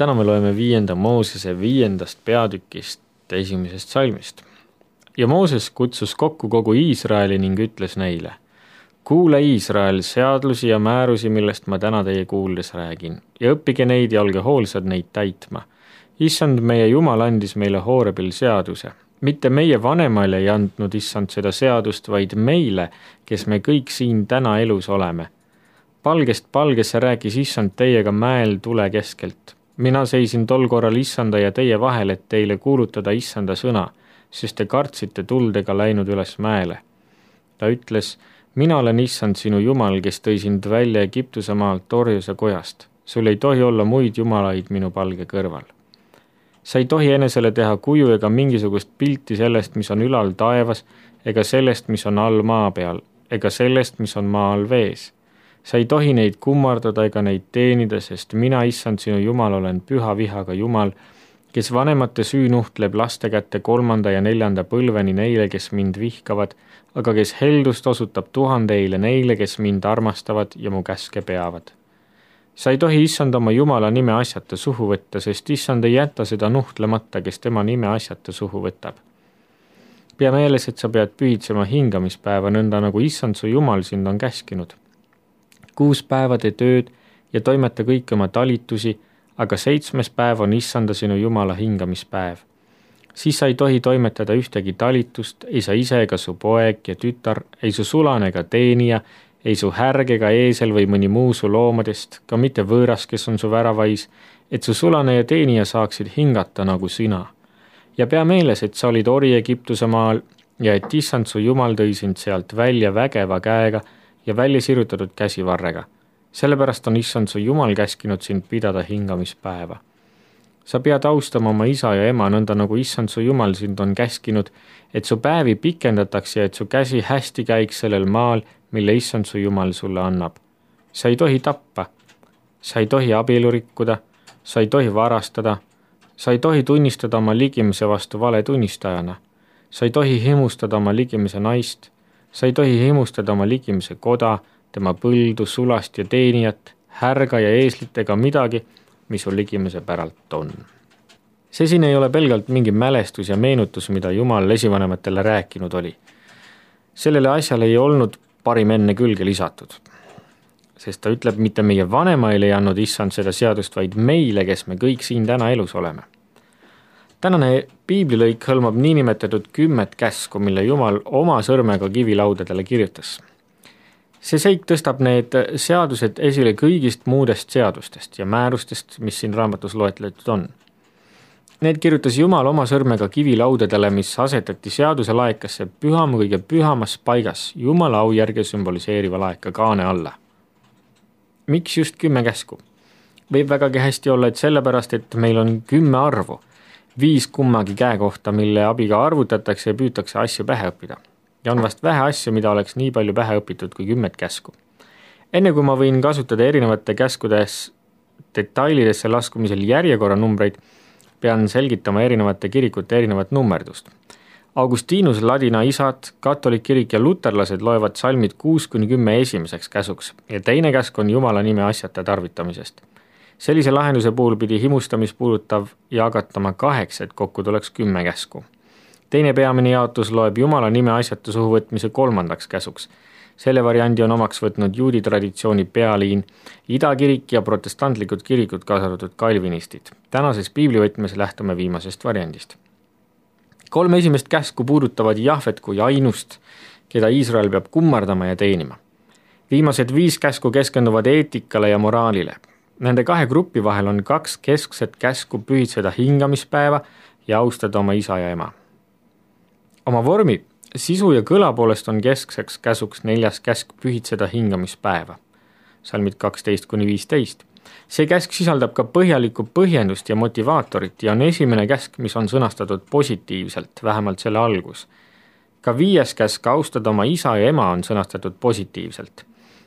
Täna me loeme 5. Moosese 5. peatükist 1. salmist. Ja Mooses kutsus kokku kogu Iisraeli ning ütles neile: kuule Iisrael seadlusi ja määrusi, millest ma täna teie kuuldes räägin, ja õppige neid ja olge hoolsad neid täitma. Issand meie Jumal andis meile Hoorebil seaduse. Mitte meie vanemaile ei andnud Issand seda seadust, vaid meile, kes me kõik siin täna elus oleme. Palgest palgesse rääkis Issand teiega mäel tule keskelt. Mina seisin tol korral Issanda ja teie vahel, et teile kuulutada Issanda sõna, sest te kartsite tuldega läinud üles mäele. Ta ütles: mina olen Issand sinu Jumal, kes tõi sind välja Egiptuse maalt orjuse kojast. Sul ei tohi olla muid jumalaid minu palge kõrval. Sa ei tohi enesele teha kuju ega mingisugust pilti sellest, mis on ülal taevas, ega sellest, mis on all maa peal, ega sellest, mis on maa all vees. Sa ei tohi neid kummardada ega neid teenida, sest mina, Issand sinu Jumal, olen püha vihaga Jumal, kes vanemate süü nuhtleb laste kätte 3. ja 4. põlveni neile, kes mind vihkavad, aga kes heldust osutab 1000 neile, kes mind armastavad ja mu käske peavad. Sa ei tohi Issand oma Jumala nime asjata suhu võtta, sest Issand ei jäta seda nuhtlemata, kes tema nime asjata suhu võtab. Pea meeles, et sa pead pühitsema hingamispäeva nõnda, nagu Issand su Jumal sind on käskinud. 6 päeva tee tööd ja toimeta kõik oma talitusi, aga 7. päev on Issanda sinu Jumala hingamispäev. Siis sa ei tohi toimetada ühtegi talitust, ei sa ise ega su poeg ja tütar, ei su sulane ega teenija, ei su härg ega eesel või mõni muu su loomadest, ka mitte võõras, kes on su väravais, et su sulane ja teenija saaksid hingata nagu sina. Ja pea meeles, et sa olid ori Egiptuse maal ja et Issand su Jumal tõi sind sealt välja vägeva käega ja välja sirutatud käsivarrega. Sellepärast on Issand su Jumal käskinud sind pidada hingamispäeva. Sa pead austama oma isa ja ema nõnda, nagu Issand su Jumal sind on käskinud, et su päevi pikendataks ja et su käsi hästi käiks sellel maal, mille Issand su Jumal sulle annab. Sa ei tohi tappa, sa ei tohi abielu rikkuda, sa ei tohi varastada, sa ei tohi tunnistada oma ligimise vastu vale tunnistajana, sa ei tohi himustada oma ligimise naist, sa ei tohi himustada oma ligimise koda, tema põldu, sulast ja teenijat, härga ja eeslit ega midagi, mis sul ligimise päralt on. See siin ei ole pelgalt mingi mälestus ja meenutus, mida Jumal esivanematele rääkinud oli. Sellele asjale ei olnud parim enne külge lisatud, sest ta ütleb, mitte meie vanemaile ei andnud Issand seda seadust, vaid meile, kes me kõik siin täna elus oleme. Tänane piiblilõik hõlmab niinimetatud 10 käsku, mille Jumal oma sõrmega kivilaudadele kirjutas. See seik tõstab need seadused esile kõigist muudest seadustest ja määrustest, mis siin raamatus loetletud on. Need kirjutas Jumal oma sõrmega kivilaudadele, mis asetati seaduse laekasse kõige pühamas paigas Jumala au järge sümboliseeriva laeka kaane alla. Miks just 10 käsku? Võib vägagi hästi olla, et sellepärast, et meil on 10 arvu, 5 kummagi käe kohta, mille abiga arvutatakse ja püütakse asju pähe õppida. Ja on vast vähe asju, mida oleks nii palju pähe õpitud kui 10 käsku. Enne kui ma võin kasutada erinevate käskudes detailidesse laskumisel järjekorranumbreid, pean selgitama erinevate kirikute erinevat nummerdust. Augustinus, ladina isad, katolik kirik ja luterlased loevad salmid 6-10 esimeseks käsuks ja teine käsk on Jumala nime asjata tarvitamisest. Sellise lahenduse puhul pidi himustamispuudutav jagatama 8, et kokku tuleks 10 käsku. Teine peamine jaotus loeb Jumala nime asjata suhu võtmise 3. käsuks. Selle variandi on omaks võtnud juudi traditsiooni pealiin, idakirik ja protestantlikud kirikud, kaasa arvatud kalvinistid. Tänases piiblivõtmes lähtume viimasest variandist. 3 esimest käsku puudutavad Jahvet kui ainust, keda Iisrael peab kummardama ja teenima. Viimased 5 käsku keskenduvad eetikale ja moraalile. Nende 2 gruppi vahel on 2 keskset käsku pühitseda hingamispäeva ja austada oma isa ja ema. Oma vormi, sisu ja kõla poolest on keskseks käsuks 4. käsk pühitseda hingamispäeva, salmid 12-15. See käsk sisaldab ka põhjalikku põhjendust ja motivaatorit ja on esimene käsk, mis on sõnastatud positiivselt, vähemalt selle algus. Ka 5. käsk austada oma isa ja ema on sõnastatud positiivselt.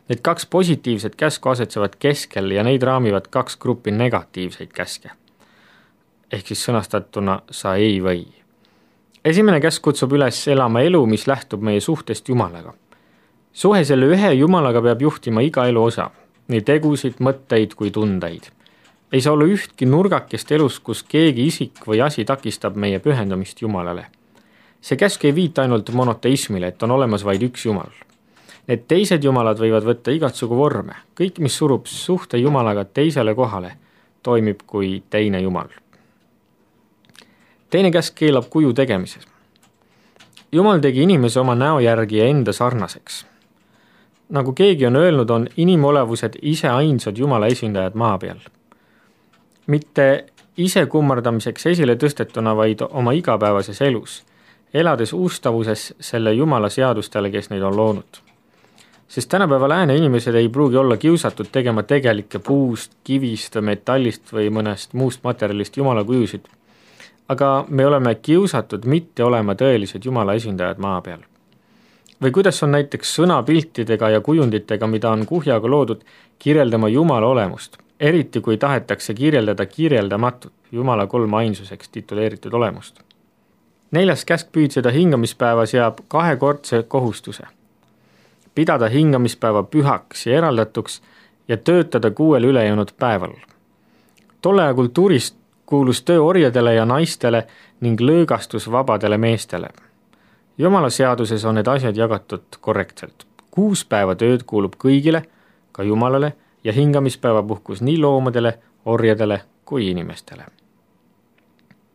Need 2 positiivset käsku asetsevad keskel ja neid raamivad 2 gruppi negatiivseid käske. Ehk siis sõnastatuna sa ei või. Esimene käsk kutsub üles elama elu, mis lähtub meie suhtest Jumalaga. Suhe selle ühe Jumalaga peab juhtima iga elu osa, nii tegusid, mõtteid kui tundeid. Ei saa olla ühtki nurgakest elus, kus keegi isik või asi takistab meie pühendumist Jumalale. See käsk ei viita ainult monoteismile, et on olemas vaid üks Jumal. Need teised jumalad võivad võtta igatsugu vorme. Kõik, mis surub suhte Jumalaga teisele kohale, toimib kui teine Jumal. Teine käsk keelab kuju tegemises. Jumal tegi inimese oma näo järgi ja enda sarnaseks. Nagu keegi on öelnud, on inimolevused ise ainsad Jumala esindajad maa peal. Mitte ise kummardamiseks esile tõstetuna, vaid oma igapäevases elus, elades uustavuses selle Jumala seadustele, kes neid on loonud. Sest tänapäeva lääne inimesed ei pruugi olla kiusatud tegema tegelikke puust, kivist, metallist või mõnest muust materjalist Jumala kujusid. Aga me oleme kiusatud mitte olema tõelised Jumala esindajad maa peal. Või kuidas on näiteks sõnapiltidega ja kujunditega, mida on kuhjaga loodud, kirjeldama Jumala olemust, eriti kui tahetakse kirjeldada kirjeldamatut Jumala kolmainsuseks tituleeritud olemust. 4. käsk püüdseda hingamispäeva seab kahekordse kohustuse. Pidada hingamispäeva pühaks ja eraldatuks ja töötada 6 ülejäänud päeval. Tolle aja kultuurist kuulus töö orjadele ja naistele ning lõõgastus vabadele meestele. Jumala seaduses on need asjad jagatud korrektselt. 6 päeva tööd kuulub kõigile, ka Jumalale, ja hingamispäeva puhkus nii loomadele, orjadele kui inimestele.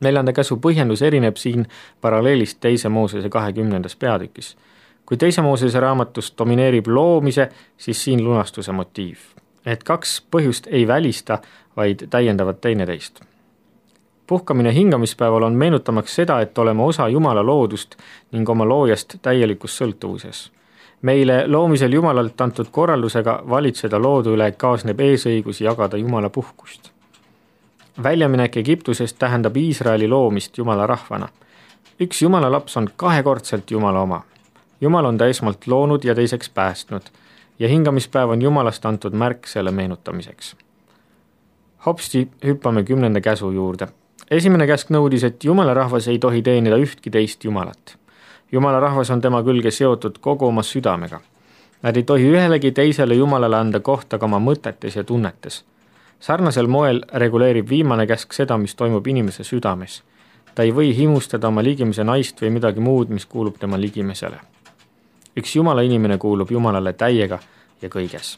4. käsu põhjendus erineb siin paralleelist 2. Moosese 20. peatükis. Kui 2. Moosese raamatus domineerib loomise, siis siin lunastuse motiiv. Et 2 põhjust ei välista, vaid täiendavad teineteist. Puhkamine hingamispäeval on meenutamaks seda, et oleme osa Jumala loodust ning oma loojast täielikus sõltuvuses. Meile loomisel Jumalalt antud korraldusega valitseda loodu üle kaasneb eesõigus jagada Jumala puhkust. Väljaminek Egiptusest tähendab Iisraeli loomist Jumala rahvana. Üks Jumala laps on 2-kordselt Jumala oma. Jumal on ta esmalt loonud ja teiseks päästnud ja hingamispäev on Jumalast antud märk selle meenutamiseks. Hopsti hüppame 10. käsu juurde. Esimene käsk nõudis, et Jumala rahvas ei tohi teenida ühtki teist Jumalat. Jumala rahvas on tema külge seotud kogu oma südamega. Nad ei tohi ühelegi teisele Jumalale anda kohta ka oma mõtetes ja tunnetes. Sarnasel moel reguleerib viimane käsk seda, mis toimub inimese südames. Ta ei või himustada oma ligimise naist või midagi muud, mis kuulub tema ligimesele. Üks Jumala inimene kuulub Jumalale täiega ja kõiges.